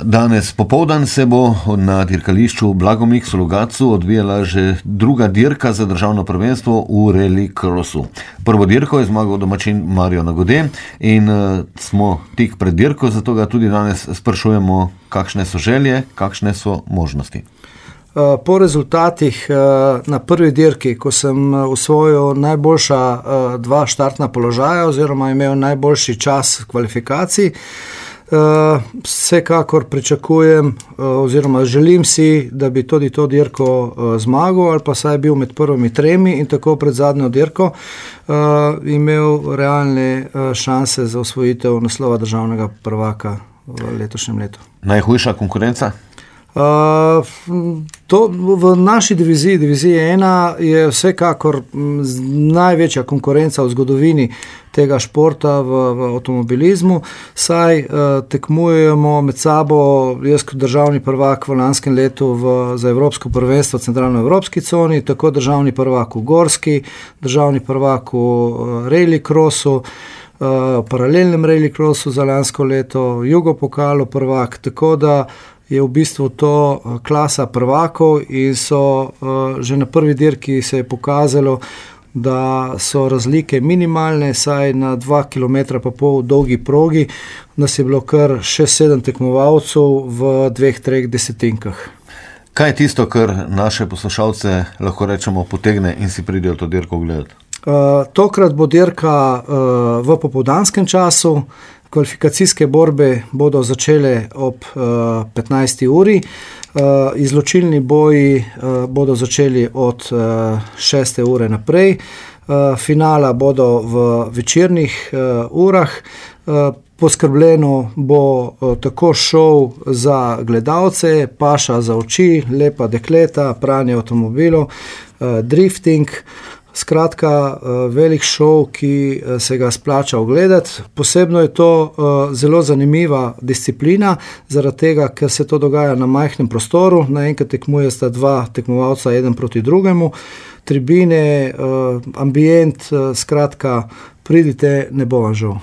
Danes popoldan se bo na dirkališču Blagomik v Logatcu odvijala že druga dirka za državno prvenstvo v rally crossu. Prvo dirko je zmagal domačin Mario Nagode in smo tik pred dirko, zato ga tudi danes sprašujemo, kakšne so želje, kakšne so možnosti. Po rezultatih na prvi dirki, ko sem osvojil najboljša dva štartna položaja oziroma imel najboljši čas kvalifikacij, vsekakor pričakujem oziroma želim si, da bi tudi to dirko zmagal ali pa saj bil med prvimi tremi in tako pred zadnjo dirko imel realne šanse za osvojitev naslova državnega prvaka v letošnjem letu. Najhujša konkurenca? To v naši diviziji 1 je vsekakor največja konkurenca v zgodovini tega športa v avtomobilizmu, saj tekmujemo med sabo, jaz kot državni prvak v lanskem letu za Evropsko prvenstvo v centralnoevropski coni, tako državni prvak v gorski, državni prvak v rally crossu, paralelnem rally crossu za lansko leto, jugopokalu prvak, tako da je v bistvu to klasa prvakov in so že na prvi dirki se je pokazalo, da so razlike minimalne, saj na 2,5 km dolgi progi nas je bilo kar 6-7 tekmovalcev v 2-3 desetinkah. Kaj je tisto, kar naše poslušalce lahko rečemo potegne in si pridejo to dirko gledati? Tokrat bo dirka v popoldanskem času. Kvalifikacijske borbe bodo začele ob 15. uri, izločilni boji bodo začeli od 6. ure naprej, finala bodo v večernih urah, poskrbljeno bo tako šov za gledalce, paša za oči, lepa dekleta, pranje avtomobilov, drifting. Skratka, velik šov, ki se ga splača ogledati. Posebno je to zelo zanimiva disciplina, zaradi tega, ker se to dogaja na majhnem prostoru. Naenkrat tekmuje sta dva tekmovalca, eden proti drugemu. Tribine, ambient, skratka, pridite, ne bo vam žal.